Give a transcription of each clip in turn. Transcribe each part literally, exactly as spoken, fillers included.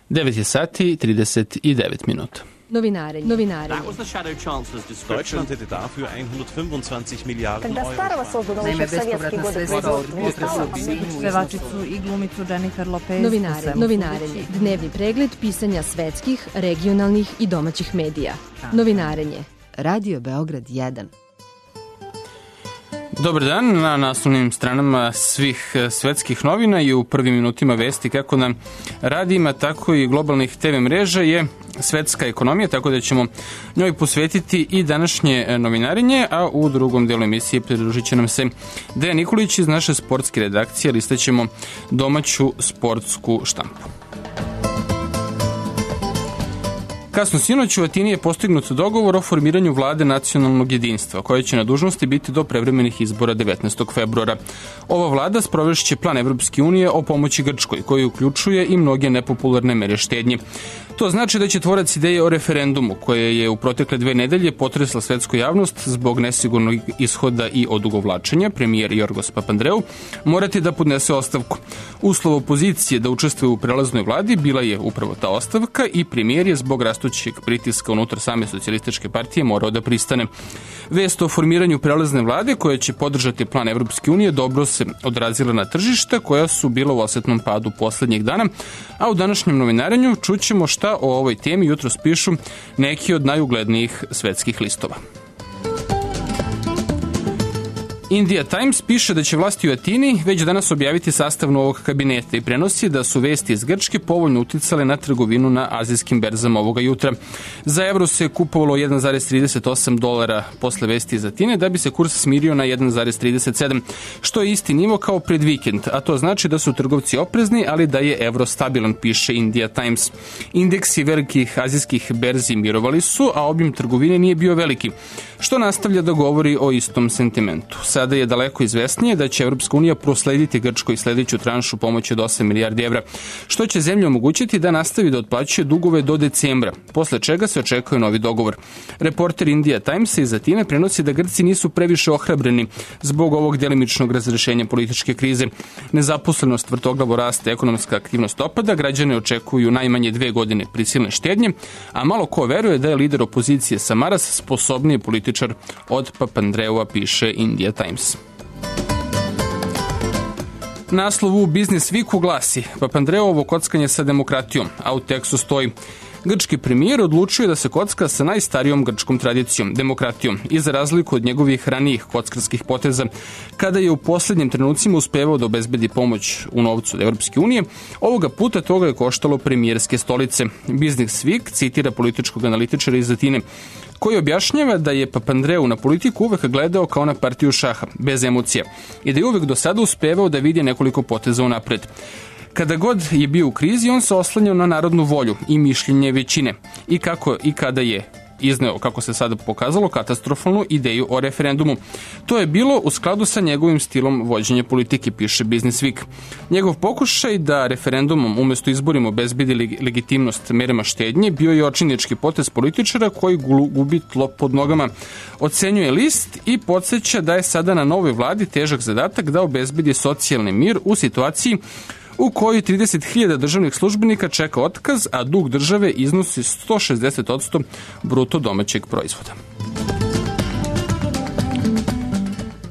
devet je sati trideset devet minuta. Novinarenje. Novinarenje. Deutschland hätte dafür hundertfünfundzwanzig Miliarden Когда старого создано Naime, еще в советские годы производства. Pevačicu i glumicu Jennifer Lopez. Novinarenje. Novinarenje. Dnevni pregled pisanja svetskih, regionalnih i domaćih medija. Novinarenje. Radio Beograd jedan. Dobar dan, na naslovnim stranama svih svetskih novina i u prvim minutima vesti kako na radijima, tako i globalnih te ve mreža je svetska ekonomija, tako da ćemo njoj posvetiti i današnje novinarenje, a u drugom delu emisije pridružit će nam se Dejan Nikolić iz naše sportske redakcije, listaćemo domaću sportsku štampu. Kasno sinoć u Atini je postignut dogovor o formiranju vlade nacionalnog jedinstva, koja će na dužnosti biti do prevremenih izbora devetnaestog februara. Ova vlada sprovešće plan Evropske unije o pomoći Grčkoj, koji uključuje i mnoge nepopularne mere štednje. To znači da će tvorac ideje o referendumu, koje je u protekle dve nedelje potresla svetsku javnost zbog nesigurnog ishoda i odugovlačenja, premijer Jorgos Papandreou morati da podnese ostavku. Uslov opozicije da učestvuje u prelaznoj vladi bila je upravo ta ostavka i premijer je zbog rastućeg pritiska unutar same socijalističke partije morao da pristane. Vest o formiranju prelazne vlade koja će podržati plan Evropske unije dobro se odrazila na tržišta koja su bila u osetnom padu poslednjih dana, a u današnjem novinarenju čućemo šta o ovoj temi jutros pišu neki od najuglednijih svetskih listova. India Times piše da će vlasti u Atini već danas objaviti sastav novog kabineta i prenosi da su vesti iz Grčke povoljno uticale na trgovinu na azijskim berzama ovoga jutra. Za evro se kupovalo jedan zarez trideset osam dolara posle vesti iz Atine, da bi se kurs smirio na jedan zarez trideset sedam, što je isti nivo kao pred vikend, a to znači da su trgovci oprezni, ali da je evro stabilan, piše India Times. Indeksi velikih azijskih berzi mirovali su, a obim trgovine nije bio veliki, što nastavlja da govori o istom sentimentu. Sada je daleko izvesnije da će Evropska unija proslediti Grčkoj sledeću tranšu pomoći od osam milijardi evra, što će zemlji omogućiti da nastavi da otplaćuje dugove do decembra, posle čega se očekuje novi dogovor. Reporter India Timesa iz Atine prenosi da Grci nisu previše ohrabreni zbog ovog delimičnog razrešenja političke krize. Nezaposlenost vrtoglavo raste, ekonomska aktivnost opada, građane očekuju najmanje dve godine prisilne štednje, a malo ko veruje da je lider opozicije Samaras sposobniji političar od Papandreua, piše India Times. Naslov u Business Weeku glasi Papandreovo kockanje sa demokratijom, a u tekstu stoji: Grčki premijer odlučuje da se kocka sa najstarijom grčkom tradicijom, demokratijom, i za razliku od njegovih ranijih kockarskih poteza, kada je u poslednjim trenucima uspevao da obezbedi pomoć u novcu od Evropske unije, ovoga puta toga je koštalo premijerske stolice. Business Week citira političkog analitičara iz Atine, koji objašnjava da je Papandreou na politiku uvek gledao kao na partiju šaha, bez emocija, i da je uvek do sada uspevao da vidi nekoliko poteza unapred. Kada god je bio u krizi, on se oslanjao na narodnu volju i mišljenje većine i kako i kada je izneo, kako se sada pokazalo, katastrofalnu ideju o referendumu. To je bilo u skladu sa njegovim stilom vođenja politike, piše Business Week. Njegov pokušaj da referendumom umesto izborima obezbedi legitimnost merama štednje bio je očinički potez političara koji gubi tlo pod nogama. Ocenjuje list i podsjeća da je sada na novoj vladi težak zadatak da obezbedi socijalni mir u situaciji u kojoj trideset hiljada državnih službenika čeka otkaz, a dug države iznosi sto šezdeset posto bruto domaćeg proizvoda.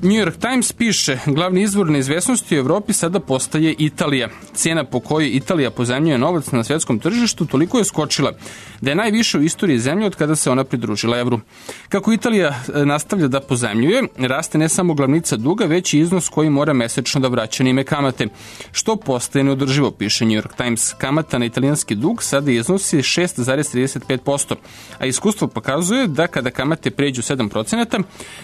New York Times piše, glavni izvor neizvesnosti u Evropi sada postaje Italija. Cena po kojoj Italija pozajmljuje novac na svetskom tržištu toliko je skočila da je najviše u istoriji zemlje od kada se ona pridružila evru. Kako Italija nastavlja da pozajmljuje, raste ne samo glavnica duga, već i iznos koji mora mesečno da vraća na ime kamate, što postaje neodrživo, piše New York Times. Kamata na italijanski dug sada iznosi šest zarez trideset pet posto, a iskustvo pokazuje da kada kamate pređu sedam procenata,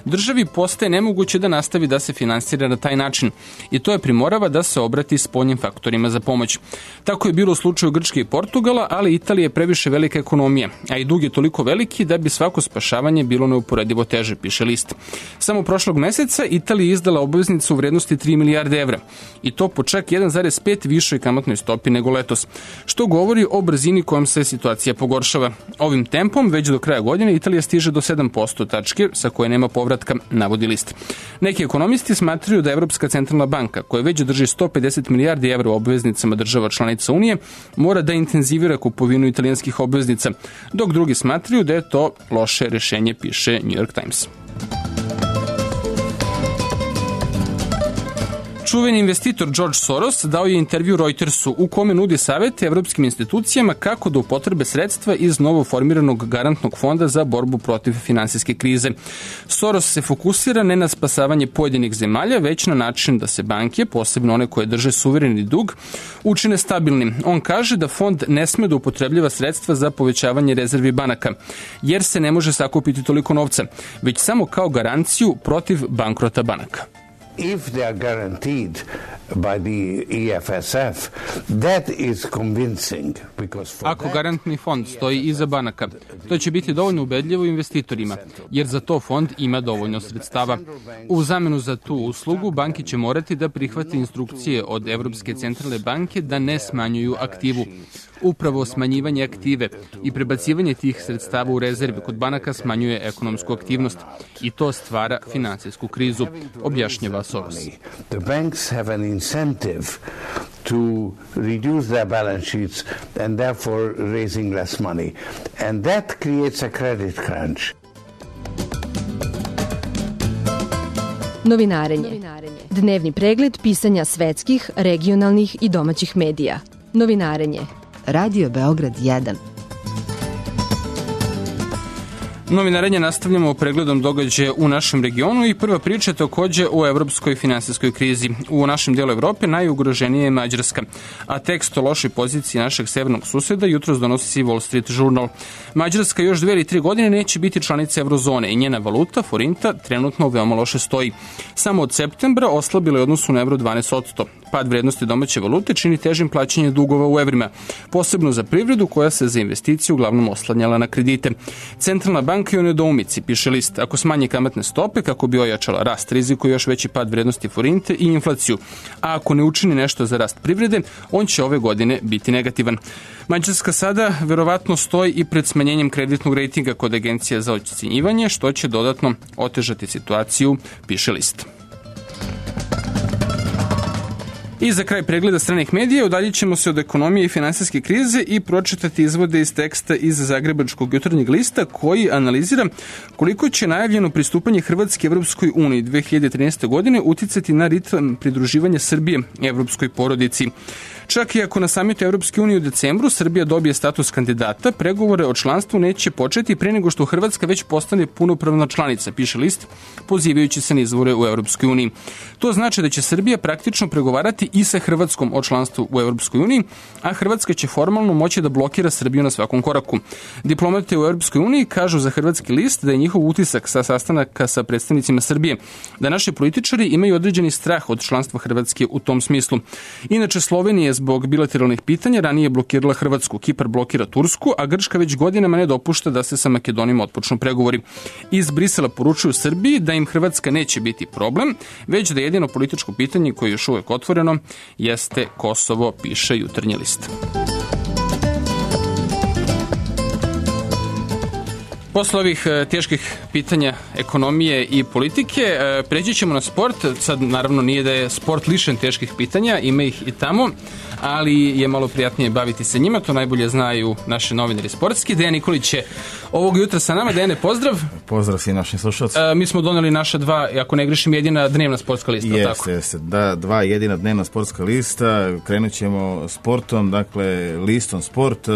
državi postaje nemoguće da nastavi da se finansira na taj način i to je primorava da se obrati spoljnim faktorima za pomoć. Tako je bilo u slučaju Grčke i Portugala, ali Italija je previše velika ekonomija, a i dug je toliko veliki da bi svako spašavanje bilo neuporedivo teže, piše list. Samo prošlog meseca Italija je izdala obveznicu u vrednosti tri milijarde evra i to po čak jedan zarez pet višoj kamatnoj stopi nego letos, što govori o brzini kojom se situacija pogoršava. Ovim tempom već do kraja godine Italija stiže do sedam posto tačke sa koje nema povratka, navodi list. Neki ekonomisti smatraju da Evropska centralna banka, koja već drži sto pedeset milijardi evra u obveznicama država članica Unije, mora da intenzivira kupovinu italijanskih obveznica, dok drugi smatraju da je to loše rešenje, piše New York Times. Čuveni investitor George Soros dao je intervju Reutersu u kome nudi savete evropskim institucijama kako da upotrebe sredstva iz novo formiranog garantnog fonda za borbu protiv finansijske krize. Soros se fokusira ne na spasavanje pojedinih zemalja, već na način da se banke, posebno one koje drže suvereni dug, učine stabilnim. On kaže da fond ne sme da upotrebljava sredstva za povećavanje rezervi banaka, jer se ne može sakupiti toliko novca, već samo kao garanciju protiv bankrota banaka. If they are guaranteed by the E F S F, that is convincing because for Ako garantni fond stoji iza banaka, to će biti dovoljno ubedljivo investitorima, jer za to fond ima dovoljno sredstava. U zamenu za tu uslugu, banke će morati da prihvate instrukcije od Evropske centralne banke da ne smanjuju aktivu. Upravo smanjivanje aktive i prebacivanje tih sredstava u rezerve kod banaka smanjuje ekonomsku aktivnost i to stvara finansijsku krizu, objašnjava Soros. The banks have an incentive to reduce their balance sheets and therefore raising less money. And that creates a credit crunch. Novinarenje. Dnevni pregled pisanja svetskih, regionalnih i domaćih medija. Novinarenje. Radio Beograd jedan. Novinarenje nastavljamo pregledom događaja u našem regionu i prva priča je takođe o evropskoj finansijskoj krizi. U našem delu Evrope najugroženija je Mađarska, a tekst o lošoj poziciji našeg severnog suseda jutros donosi Wall Street Journal. Mađarska još dve ili tri godine neće biti članica eurozone i njena valuta, forinta, trenutno veoma loše stoji. Samo od septembra oslabila je odnosu na evro dvanaest posto. Pad vrednosti domaće valute čini težim plaćanje dugova u evrima, posebno za privredu koja se za investiciju uglavnom oslanjala na kredite. Centralna banka je u nedoumici, piše list. Ako smanje kamatne stope kako bi ojačala rast, rizikuje još veći pad vrednosti forinte i inflaciju. A ako ne učini nešto za rast privrede, on će ove godine biti negativan. Mađarska sada verovatno stoji i pred smanjenjem kreditnog rejtinga kod agencija za ocenjivanje, što će dodatno otežati situaciju, piše list. I za kraj pregleda stranih medija udaljit ćemo se od ekonomije i finansijske krize i pročitati izvode iz teksta iz Zagrebačkog jutarnjeg lista koji analizira koliko će najavljeno pristupanje Hrvatske Evropskoj uniji dve hiljade trinaeste. godine uticati na ritam pridruživanja Srbije Evropskoj porodici. Čak i ako na samitu Evropske unije u decembru Srbija dobije status kandidata, pregovore o članstvu neće početi pre nego što Hrvatska već postane punopravna članica, piše list, pozivajući se na izvore u Evropskoj uniji. To znači da će Srbija praktično pregovarati i sa Hrvatskom o članstvu u Evropskoj uniji, a Hrvatska će formalno moći da blokira Srbiju na svakom koraku. Diplomate u Evropskoj uniji kažu za hrvatski list da je njihov utisak sa sastanaka sa predstavnicima Srbije, da naši političari imaju određeni strah od članstva Hrvatske u tom smislu. Inače, Slovenija je zbog bilateralnih pitanja ranije blokirala Hrvatsku, Kipar blokira Tursku, a Grčka već godinama ne dopušta da se sa Makedonijom otpočnu pregovori. Iz Brisela poručuju Srbiji da im Hrvatska neće biti problem, već da jedino političko pitanje koje je još uvek otvoreno jeste Kosovo, piše jutarnji list. Posle ovih teških pitanja ekonomije i politike pređi ćemo na sport. Sad naravno nije da je sport lišen teških pitanja, ima ih i tamo, ali je malo prijatnije baviti se njima, to najbolje znaju naše novinari sportski. Dejan Nikolić je ovog jutra sa nama. Dejane, pozdrav. Pozdrav svim našim slušalcima. Mi smo doneli naša dva, ako ne grešim, jedina dnevna sportska lista. Jeste, jeste. Da, dva jedina dnevna sportska lista. Krenut ćemo sportom, dakle listom sport.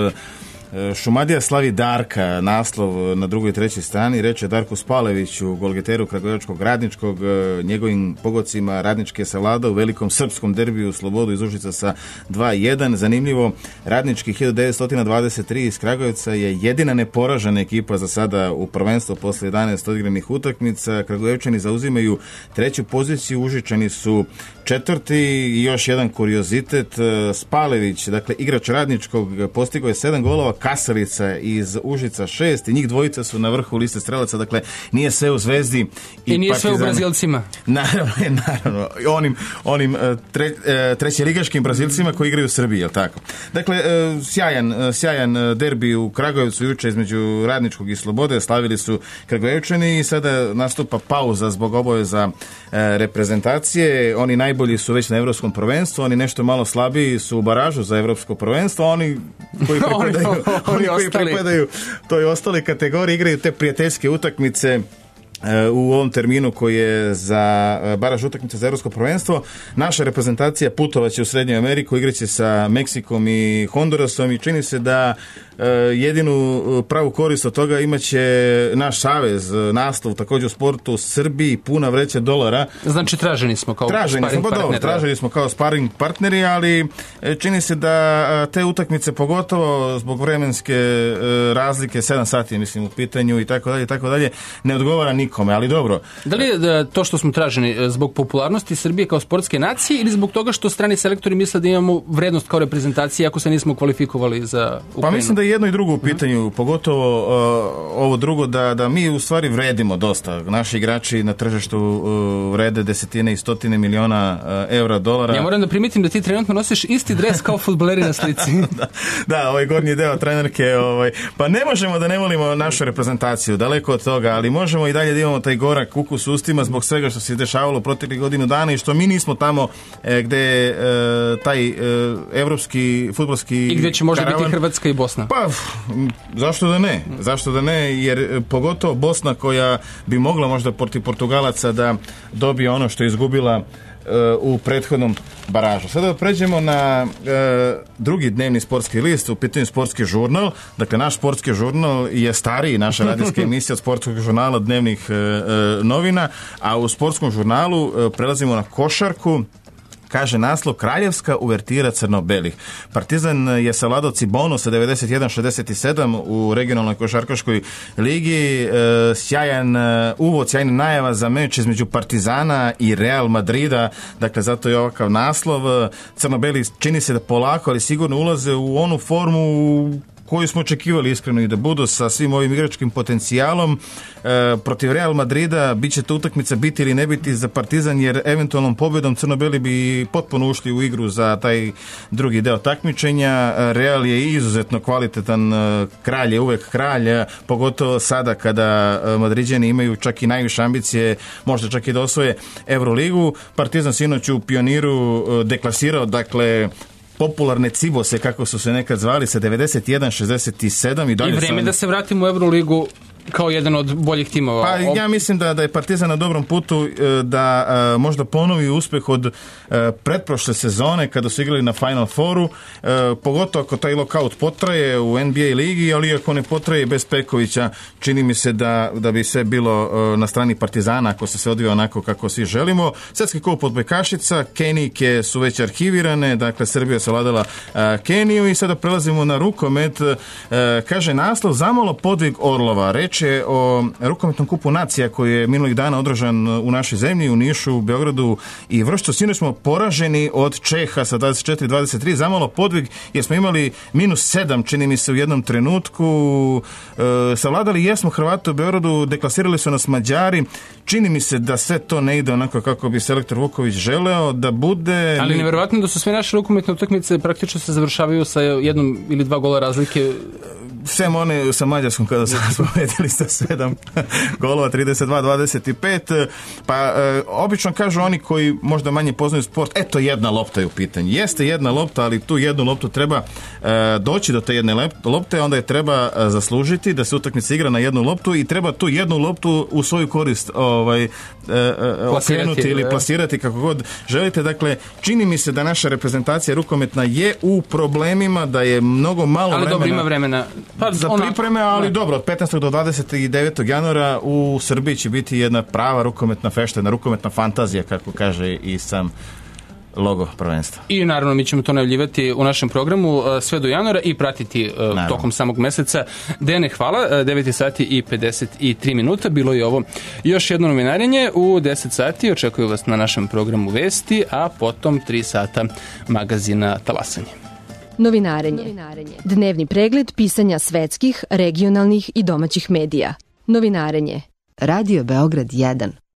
Šumadija slavi Darka, naslov na drugoj i trećoj strani, reče Darku Spaleviću, golgeteru kragujevačkog Radničkog, njegovim pogodcima Radnički je savladao u velikom srpskom derbiju Slobodu iz Užica sa dva jedan. Zanimljivo, Radnički hiljadu devetsto dvadeset tri iz Kragujevca je jedina neporažena ekipa za sada u prvenstvu posle jedanaest odigranih utakmica. Kragujevčani zauzimaju treću poziciju, Užičani su četvrti i još jedan kuriozitet, Spalević, dakle igrač Radničkog, postigao je sedam golova Kasalica iz Užica šest i njih dvojica su na vrhu liste strelaca, dakle nije sve u Zvezdi i, I nije Partizan. sve u Brazilcima. Naravno, naravno. Onim, onim tre, trećeligaškim Brazilcima koji igraju u Srbiji, jel tako? Dakle, sjajan, sjajan derbi u Kragujevcu juče između Radničkog i Slobode, slavili su Kragujevčani i sada nastupa pauza zbog obaveza reprezentacije. Oni najbolji su već na evropskom prvenstvu, oni nešto malo slabiji su u baražu za evropsko prvenstvo, oni koji pripadaju, oni, oni koji pripadaju toj ostali kategoriji igraju te prijateljske utakmice u ovom terminu koji je za baraž utakmice za evropsko prvenstvo. Naša reprezentacija putovaće u Srednju Ameriku, igraće sa Meksikom i Hondurasom i čini se da jedinu pravu korist od toga imaće naš savez, naslov također u sportu u Srbiji, puna vreća dolara. Znači traženi smo kao traženi sparing smo, pa dobro, traženi smo kao sparing partneri, ali čini se da te utakmice, pogotovo zbog vremenske razlike, sedam sati mislim u pitanju i tako dalje, tako dalje, ne odgovara nikome, ali dobro. Da li je to što smo traženi zbog popularnosti Srbije kao sportske nacije ili zbog toga što strani selektori misle da imamo vrednost kao reprezentacija ako se nismo kvalifikovali za Ukrajinu? Pa mislim da je jedno i drugo u pitanju, pogotovo uh, ovo drugo, da, da mi u stvari vredimo dosta. Naši igrači na tržištu uh, vrede desetine i stotine miliona uh, evra, dolara. Ja moram da primitim da ti trenutno nosiš isti dres kao fudbaleri na slici. da, da, ovaj gornji deo trenerke, ovaj, pa ne možemo da ne volimo našu reprezentaciju, daleko od toga, ali možemo i dalje da imamo taj gorak ukus u ustima zbog svega što se dešavalo proteklih godinu dana i što mi nismo tamo e, gde e, taj e, evropski fudbalski i gde će možda karavan, biti Hrvatska i Bosna. Pa, zašto da ne? Zašto da ne? Jer pogotovo Bosna koja bi mogla možda protiv Portugalaca da dobije ono što je izgubila u prethodnom baražu. Sada pređemo na e, drugi dnevni sportski list, u pitanju sportski žurnal. Dakle, naš sportski žurnal je stariji, naša radijska emisija od sportskog žurnala dnevnih e, e, novina, a u sportskom žurnalu e, prelazimo na košarku. Kaže naslov Kraljevska uvertira crno-belih. Partizan je savladao Cibonu sa devedeset jedan šezdeset sedam u regionalnoj košarkaškoj ligi. E, sjajan e, uvod, sjajna najava za meč između Partizana i Real Madrida. Dakle, zato je ovakav naslov. Crno-beli čini se da polako, ali sigurno ulaze u onu formu koju smo očekivali iskreno i da budu sa svim ovim igračkim potencijalom. E, protiv Real Madrida bit će to utakmica biti ili ne biti za Partizan, jer eventualnom pobjedom crno-beli bi potpuno ušli u igru za taj drugi deo takmičenja. Real je izuzetno kvalitetan, kralj je uvek kralj, pogotovo sada kada Madriđani imaju čak i najviše ambicije, možda čak i da osvoje Euroligu. Partizan sinoć u Pioniru deklasirao, dakle, popularne Cibose, kako su se nekad zvali, sa devedeset jedan šezdeset sedam i dalje. I vreme sam... da se vratimo u Euroligu kao jedan od boljih timova. Pa ja mislim da, da je Partizan na dobrom putu da a, možda ponovi uspeh od a, pretprošle sezone kada su igrali na Final Fouru, a, pogotovo ako taj lockout potraje u N B A ligi, ali ako ne potraje bez Pekovića, čini mi se da, da bi sve bilo a, na strani Partizana ako se sve odvija onako kako svi želimo. Svetski kup odbojkašica, Kenijke su već arhivirane, dakle Srbija se vladala a, Keniju i sada prelazimo na rukomet. A, kaže naslov Zamalo podvig Orlova. Reč je o rukometnom kupu nacija koji je minulih dana održan u našoj zemlji, u Nišu, u Beogradu i Vršcu. Sinoć smo poraženi od Čeha sa dvadeset četiri dvadeset tri, zamalo podvig jer smo imali minus sedam, čini mi se, u jednom trenutku. E, savladali jesmo Hrvate u Beogradu, deklasirali su nas Mađari. Čini mi se da sve to ne ide onako kako bi selektor Vuković želeo da bude. Ali nevjerovatno da su sve naše rukometne utakmice praktično se završavaju sa jednom ili dva gola razlike. Sem one sa Mađarskom kada su pobedili sa sedam golova, trideset dva dvadeset pet. Pa e, obično kažu oni koji možda manje poznaju sport, eto jedna lopta je u pitanju. Jeste jedna lopta, ali tu jednu loptu treba e, doći do te jedne lopte, onda je treba e, zaslužiti da se utakmica igra na jednu loptu i treba tu jednu loptu u svoju korist ovaj, e, e, okrenuti ili plasirati kako god želite. Dakle, čini mi se da naša reprezentacija rukometna je u problemima, da je mnogo malo ali vremena. Ali dobro, ima vremena. Pa, za ona, pripreme, ali ne. Dobro, od petnaestog do dvadeset devetog januara u Srbiji će biti jedna prava rukometna fešta, jedna rukometna fantazija, kako kaže i sam logo prvenstva. I naravno mi ćemo to najavljivati u našem programu sve do januara i pratiti naravno tokom samog meseca. Dene, hvala. devet sati i pedeset tri minuta. Bilo je ovo još jedno novinarenje. U deset sati očekuju vas na našem programu Vesti, a potom tri sata magazina Talasanje. Novinarenje. Dnevni pregled pisanja svetskih, regionalnih i domaćih medija. Novinarenje. Radio Beograd jedan.